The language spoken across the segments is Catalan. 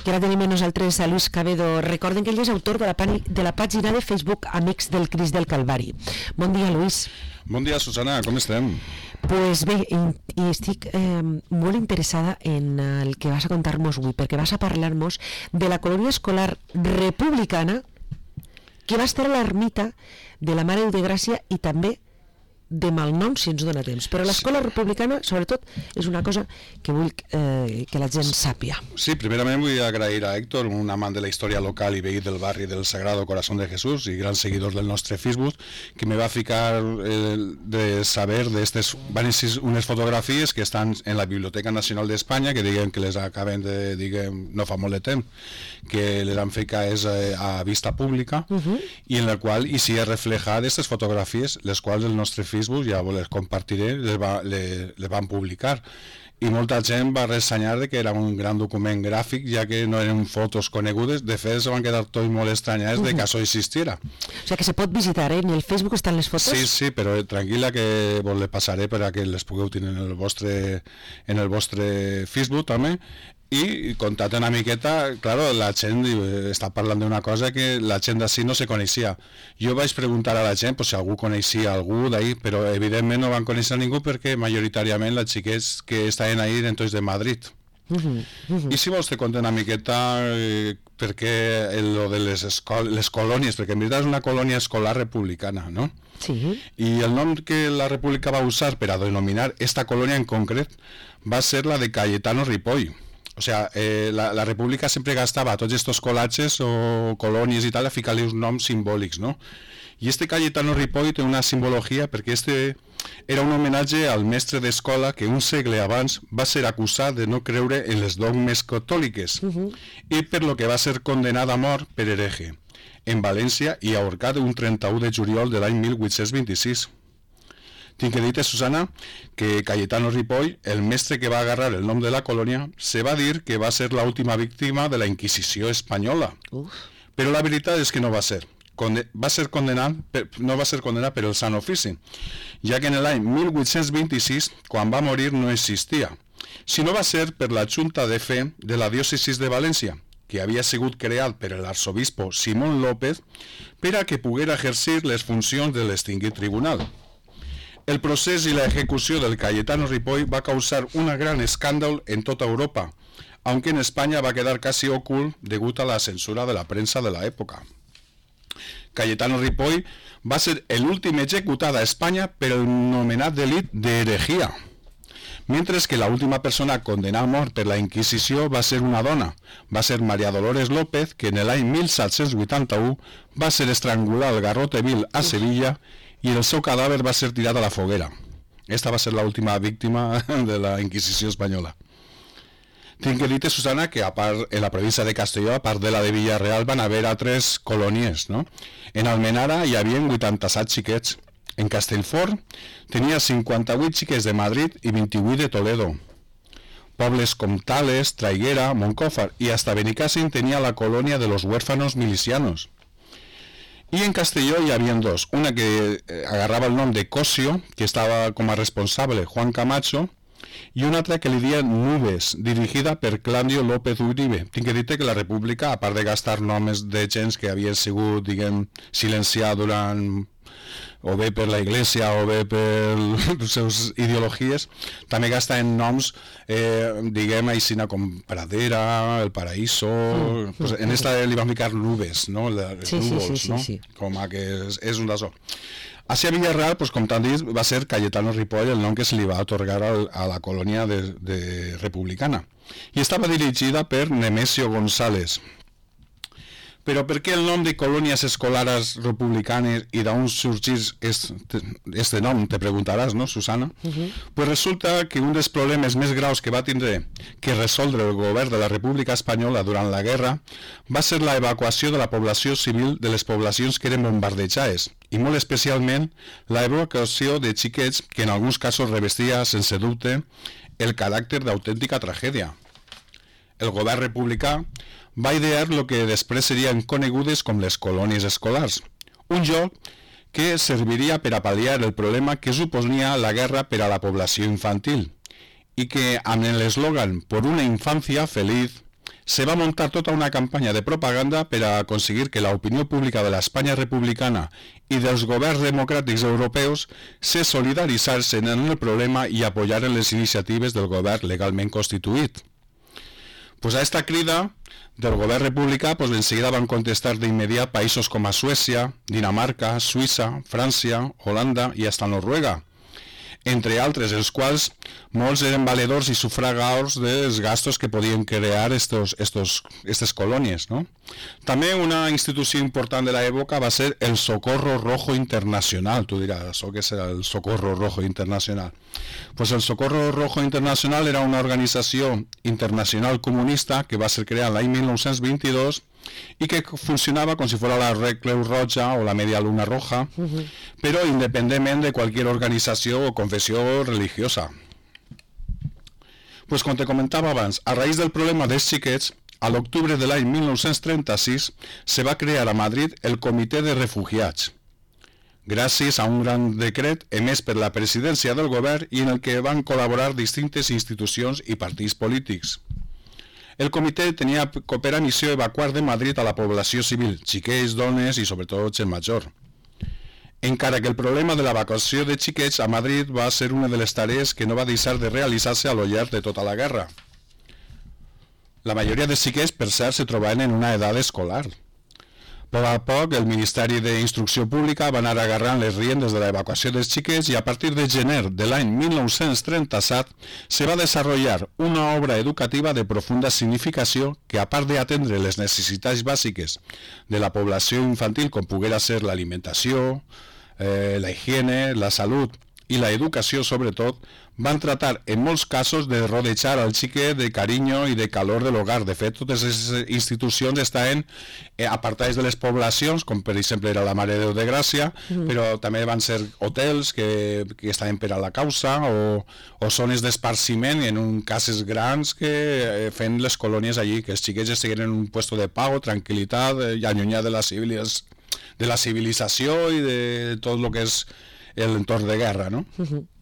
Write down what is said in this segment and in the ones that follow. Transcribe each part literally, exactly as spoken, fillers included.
que ara tenim amb nosaltres a Luis Cabedo. Recorden que ell és autor de la, de la pàgina de Facebook Amics del Crist del Calvari. Bon dia, Luis. Bon dia, Susana, com estem? Pues bé, i, i estic eh, molt interessada en el que vas a contar-nos avui, perquè vas a parlar-nos de la colònia escolar republicana que va estar a l'ermita de la Mare de Gràcia i també de malnom, si ens dona temps. Però l'escola republicana, sobretot, és una cosa que vull eh, que la gent sàpia. Sí, primerament vull agrair a Héctor, un amant de la història local i veí del barri del Sagrado Corazón de Jesús i gran seguidor del nostre Facebook, que me va ficar eh, de saber d'estes, van ser unes fotografies que estan en la Biblioteca Nacional d'Espanya, que diguem que les acaben de, diguem, no fa molt de temps, que les han ficat eh, a vista pública, uh-huh. i en la qual hi s'hi ha reflejat aquestes fotografies, les quals el nostre Facebook, ja les compartiré, les, va, les, les van publicar. I molta gent va ressenyar que era un gran document gràfic, ja que no eren fotos conegudes. De fet, se van quedar tots molt estranyats de que això existiera. O sigui que se pot visitar, eh? En el Facebook estan les fotos? Sí, sí, però tranquil·la que vos les passaré per a que les pugueu tenir en el vostre, en el vostre Facebook també. I contat una miqueta, claro, la gent està parlant d'una cosa que la gent d'ací no se coneixia. Jo vaig preguntar a la gent pues, si algú coneixia algú d'ahí, però evidentment no van conèixer ningú perquè majoritàriament les xiquets que estaven ahí eren tots de Madrid. Uh-huh, uh-huh. I si vols te conto una miqueta eh, per què lo de les, escol les colònies, perquè en veritat és una colònia escolar republicana, no? Sí. I el nom que la República va usar per a denominar esta colònia en concret va ser la de Cayetano Ripoll. O sea, eh, la, la República sempre gastava tots estos colatges o colònies i tal a ficar-li uns noms simbòlics, no? I este Cayetano Ripoll té una simbologia perquè este era un homenatge al mestre d'escola que un segle abans va ser acusat de no creure en les dogmes catòliques uh-huh. i per lo que va ser condenat a mort per hereje en València i ahorcat un trenta-u de juliol de l'any mil vuit-cents vint-i-sis. Tinc que dir-te, Susana, que Cayetano Ripoll, el mestre que va agarrar el nom de la colònia, se va dir que va ser l'última víctima de la Inquisició espanyola. Uf. Però la veritat és que no va ser. Conde va ser condenat per, no va ser condenat per el Sant Ofici, ja que en l'any mil vuit-cents vint-i-sis, quan va morir, no existia, sinó va ser per la Junta de Fe de la diòcesis de València, que havia sigut creat per l'arsobispo Simón López per a que poguera exercir les funcions de l'extingit tribunal. El procés i la ejecució del Cayetano Ripoll va causar un gran escàndol en tota Europa, aunque en España va quedar casi ocult degut a la censura de la premsa de la època. Cayetano Ripoll va ser l'últim executat a Espanya per el nomenat delit d'heretgia, mentre que l'última persona condenada a mort per la Inquisició va ser una dona, va ser María Dolores López, que en l'any mil set-cents vuitanta-u va ser estrangulada al Garrote Vil a Sevilla i el seu cadàver va ser tirat a la foguera. Esta va ser l'última víctima de la Inquisició espanyola. Tinc que dir-te, Susana, que a part, en la província de Castelló, a part de la de Villarreal, van haver altres colònies, no? En Almenara hi havia vuitanta-set xiquets. En Castellfort tenia cinquanta-vuit xiquets de Madrid i vint-i-vuit de Toledo. Pobles com Tales, Traiguera, Moncófar i hasta Benicàssim tenia la colònia de los huérfanos milicianos. I en Castelló hi havia dos, una que agarrava el nom de Cosio, que estava com a responsable Juan Camacho, i una altra que li deia Nubes, dirigida per Claudio López Uribe. Tinc que dir-te que la República, a part de gastar noms de gens que havien sigut, diguem, silenciats durant o bé per la Iglesia o bé per les seves ideologies, també gasta en noms, eh, diguem, aixina com Pradera, El Paraíso, mm. pues en esta li van ficar Nubes, no? Les sí, núvols, sí, sí, no? sí, sí. Com a que és, és un d'això. Així a Villarreal, pues, com t'han dit, va ser Cayetano Ripoll el nom que se li va atorgar al, a la colònia de, de republicana. I estava dirigida per Nemesio González. Però per què el nom de colònies escolares republicanes i d'on sorgís este, este nom, te preguntaràs, no, Susana? Uh-huh. Pues resulta que un dels problemes més graus que va tindre que resoldre el govern de la República Espanyola durant la guerra va ser la evacuació de la població civil de les poblacions que eren bombardejades i molt especialment la evacuació de xiquets que en alguns casos revestia sense dubte el caràcter d'autèntica tragèdia. El govern republicà va idear el que després serien conegudes com les colònies escolars, un lloc que serviria per a pal·liar el problema que suponia la guerra per a la població infantil i que amb l'eslògan «Por una infancia feliz» se va montar tota una campanya de propaganda per a aconseguir que l'opinió pública de l'Espanya republicana i dels governs democràtics europeus se solidaritzarsen en el problema i apoyaren les iniciatives del govern legalment constituït. Pues a esta crida del govern republicà pues, enseguida van contestar d'immediat països com a Suècia, Dinamarca, Suïssa, França, Holanda i hasta Noruega, entre altres, els quals molts eren valedors i sufragadors dels gastos que podien crear estos, estos, estes colònies, no? També una institució important de l'època va ser el Socorro Rojo Internacional. Tu diràs, això què és el Socorro Rojo Internacional? Pues el Socorro Rojo Internacional era una organització internacional comunista que va ser creada l'any mil nou-cents vint-i-dos i que funcionava com si fos la Creu Roja o la Media Luna Roja, uh-huh. però independentment de qualsevol organització o confessió religiosa. Pues com te comentava abans, a raïs del problema dels xiquets, a l'octubre de l'any mil nou-cents trenta-sis se va crear a Madrid el Comitè de Refugiats, gràcies a un gran decret emès per la presidència del govern i en el que van col·laborar distintes institucions i partits polítics. El comitè tenia per a missió evacuar de Madrid a la població civil, xiquets, dones i sobretot gent major. Encara que el problema de l'evacuació de xiquets a Madrid va ser una de les tarees que no va deixar de realitzar-se a lo llarg de tota la guerra. La majoria de xiquets, per cert, se trobaven en una edat escolar. A poc a poc, el Ministeri d'Instrucció Pública va anar agarrant les riendes de l'evacuació dels xiquets i a partir de gener de l'any mil nou-cents trenta-set se va desenvolupar una obra educativa de profunda significació que, a part d'atendre les necessitats bàsiques de la població infantil, com poguera ser l'alimentació, eh, la higiene, la salut i la educació sobretot, van tratar en molts casos de rodejar al xiquet de carinyo i de calor de l'hogar. De fet, totes les institucions estaven eh, apartades de les poblacions, com per exemple era la Mare de Déu de Gràcia, mm. però també van ser hotels que, que estaven per a la causa o, o zones d'esparciment, en un cases grans que eh, feien les colònies allí, que els xiquets estiguin en un puesto de pau, tranquil·litat, eh, i allunyat de la, civilis, de la civilització i de tot el que és l'entorn de guerra, no? Mm-hmm.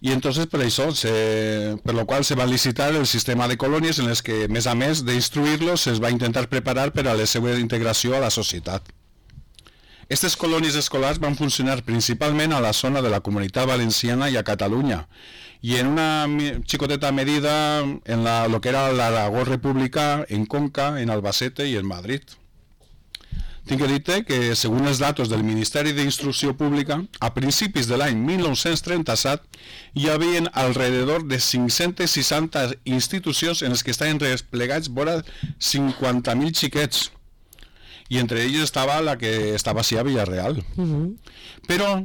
I entonces per això, se, per lo qual se va licitar el sistema de colònies en les que, a més a més d'instruir-los, es va intentar preparar per a la seva integració a la societat. Aquestes colònies escolars van funcionar principalment a la zona de la Comunitat Valenciana i a Catalunya, i en una xicoteta medida en la, lo que era l'Aragó republicà, en Conca, en Albacete i en Madrid. Tinc que dir-te que, segons els datos del Ministeri d'Instrucció Pública, a principis de l'any mil nou-cents trenta-set hi havia alrededor de cinc-centes seixanta institucions en les que estaven desplegats vora cinquanta mil xiquets, i entre ells estava la que estava així a Villarreal. Uh-huh. Però,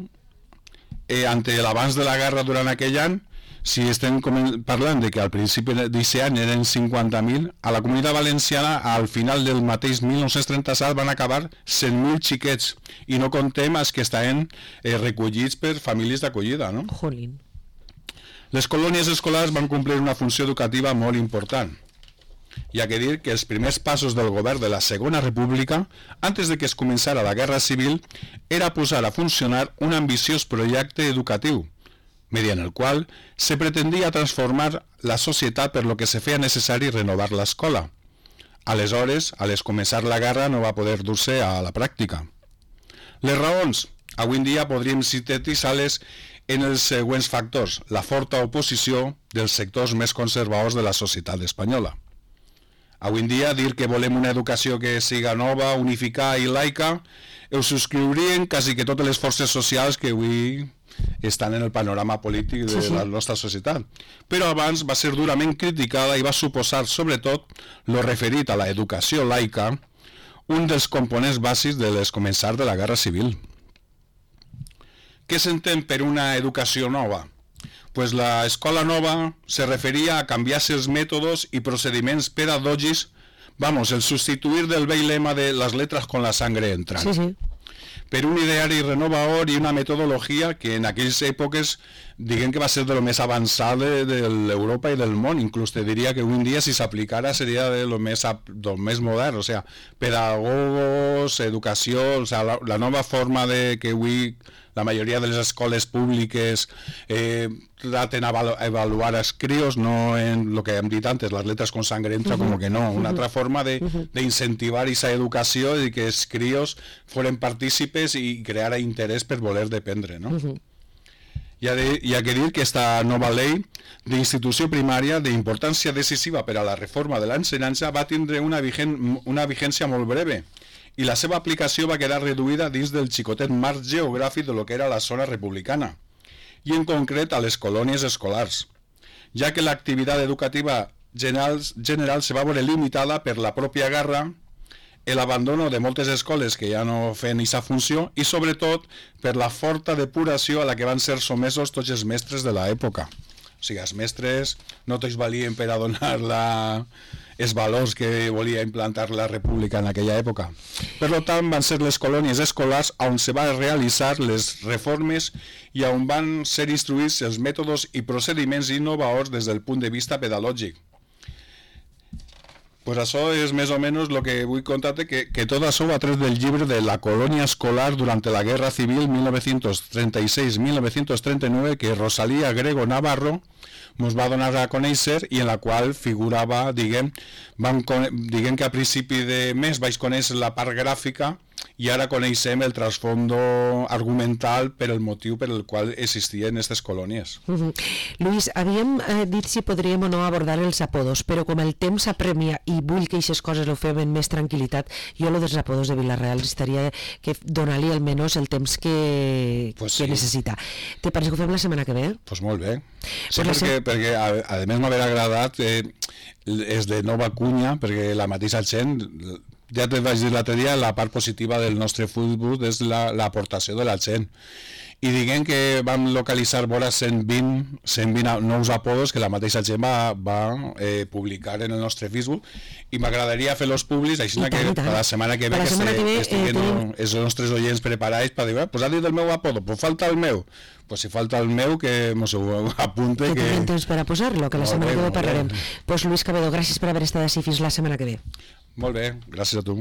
eh, ante l'abans de la guerra durant aquell any, si estem parlant de que al principi d'aquest any eren cinquanta mil, a la Comunitat Valenciana al final del mateix mil nou-cents trenta-set van acabar cent mil xiquets, i no contem els que estaven eh, recollits per famílies d'acollida, no? Jolín. Les colònies escolars van complir una funció educativa molt important. Hi ha que dir que els primers passos del govern de la Segona República, antes de que es començara la Guerra Civil, era posar a funcionar un ambiciós projecte educatiu, mediante el qual se pretendia transformar la societat per lo que se feia necessari renovar l'escola. Aleshores, al començar la guerra, no va poder dur-se a la pràctica. Les raons, avui en dia podríem sintetitzar-les en els següents factors: la forta oposició dels sectors més conservadors de la societat espanyola. Avui en dia, dir que volem una educació que siga nova, unificada i laica, ho subscriurien quasi que totes les forces socials que avui estan en el panorama polític de sí, sí. la nostra societat. Però abans va ser durament criticada i va suposar, sobretot, lo referit a la educació laica, un dels components bàsics de les començar de la Guerra Civil. Què s'entén per una educació nova? Pues la escola nova se referia a canviar-se els mètodes i procediments pedagògics, vamos, el substituir del vell lema de las letras con la sangre entran. Sí, sí. Per un ideari renovador i una metodologia que en aquelles èpoques diguem que va ser de lo més avançat de, de l'Europa i del món. Inclús te diria que avui en dia si s'aplicara seria de lo més, del més modern, o sea, pedagogos, educació, o sea, la, la nova forma de que avui la majoria de les escoles públiques eh, traten a avaluar els crios, no en lo que hem dit antes, las letras con sangre entra, uh -huh. como que no, una uh -huh. altra forma de, uh -huh. de incentivar esa educació i que els crios foren partícipes i crear interès per voler dependre, no? Uh -huh. Hi ha, de, hi ha que dir que esta nova llei d'institució primària d'importància decisiva per a la reforma de l'ensenyança va tindre una, vigen, una vigència molt breve i la seva aplicació va quedar reduïda dins del xicotet marc geogràfic de lo que era la zona republicana i en concret a les colònies escolars, ja que l'activitat educativa general, general se va veure limitada per la pròpia guerra, l'abandono de moltes escoles que ja no feien aquesta funció i sobretot per la forta depuració a la que van ser somesos tots els mestres de l'època. O sigui, els mestres no tots valien per a donar la... els valors que volia implantar la república en aquella època. Per tant, van ser les colònies escolars on se van realitzar les reformes i on van ser instruïts els mètodes i procediments innovadors des del punt de vista pedagògic. Pues això és més o menys el que vull contar-te, que, que tot això va tret del llibre de La colònia escolar durante la Guerra Civil mil nou-cents trenta-sis a mil nou-cents trenta-nou, que Rosalía Grego Navarro ens va donar a conèixer i en la qual figurava, diguem, vam, diguem que a principi de mes vaig conèixer la part gràfica i ara coneixem el trasfondo argumental per el motiu per el qual existien aquestes colònies. Uh -huh. Lluís, havíem eh, dit si podríem o no abordar els apodos, però com el temps apremia i vull que aquestes coses ho fem amb més tranquil·litat, jo lo dels apodos de Vila-real estaria que donar-li almenys el temps que, pues que sí. necessita. Te pareix que ho fem la setmana que ve? Doncs pues molt bé. Sí, pues perquè, se... perquè a, a més m'haver agradat eh, és de nova cunya, perquè la mateixa gent... Ja te vaig dir l'altre dia, la part positiva del nostre futbol és l'aportació de la gent. I diguem que vam localitzar vora cent vint nous apodos que la mateixa gent va, va eh, publicar en el nostre Facebook i m'agradaria fer-los públics, així tant, que per la setmana que ve que, se, que, ve, que estiguen eh, els nostres oients preparats per dir, pues ha dit el meu apodo, pues falta el meu. Pues si falta el meu, que mos ho apunte. Que, que tinguem temps per a posar-lo, que la setmana que ve parlarem. Pues Lluís Cabedo, gràcies per haver estat així fins la setmana que ve. Molt bé, gràcies a tu.